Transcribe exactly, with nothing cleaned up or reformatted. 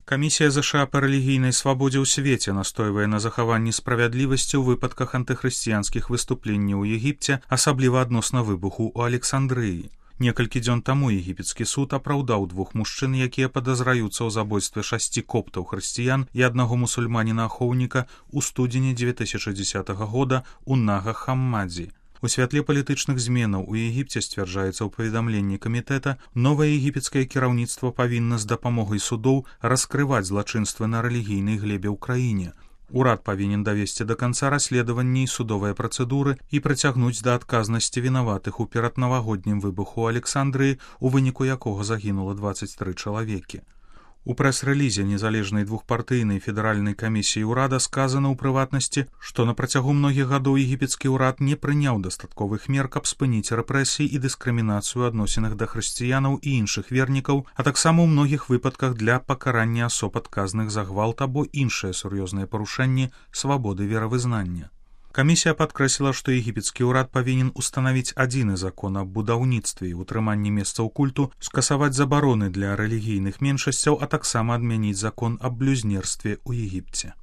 Камісія ЗША па рэлігійнай свабодзе ў свеце настойвае на захаванні справядлівасці ў выпадках антыхрысціянскіх выступленняў у Егіпце, асабліва адносна выбуху ў Александрыі. Некалькі дзён таму егіпецкі суд апраўдаў двух мужчын, якія падазраюцца ў забойстве шасці коптаў хрысціян і аднаго мусульманіна-ахоўніка ў студзені дзве тысячы дзесятага года ў Нага-Хаммадзі. У святле палітычных зменаў у Егіпце, сцвярджаецца ў паведамленні камітэта, новае егіпецкае кіраўніцтва павінна з дапамогай судоў раскрываць злачынствы на рэлігійнай глебе ў краіне. Урад павінен давесці да канца расследаванні і судовыя працэдуры і прыцягнуць да адказнасці вінаватых у пераднавагоднім выбуху ў Александрыі, у выніку якога загінула дваццаць тры чалавекі. У прэс-рэлізе незалежнай двухпартыйнай федэральнай камісіі ўрада сказана ў прыватнасці, што на працягу многіх гадоў егіпецкі ўрад не прыняў дастатковых мер, каб спыніць рэпрэсіі і дыскрымінацыю адносінах да хрысціянаў і іншых вернікаў, а таксама ў многіх выпадках для пакарання асоб адказных за гвалт або іншыя сур'ёзныя парушэнні свабоды веравызнання. Камісія падкрэсліла, што егіпецкі ўрад павінен устанавіць адзіны закон аб будаўніцтве і ўтрыманні месцаў культу, скасаваць забароны для рэлігійных меншасцяў, а таксама адмяніць закон аб блюзнерстве ў Егіпце.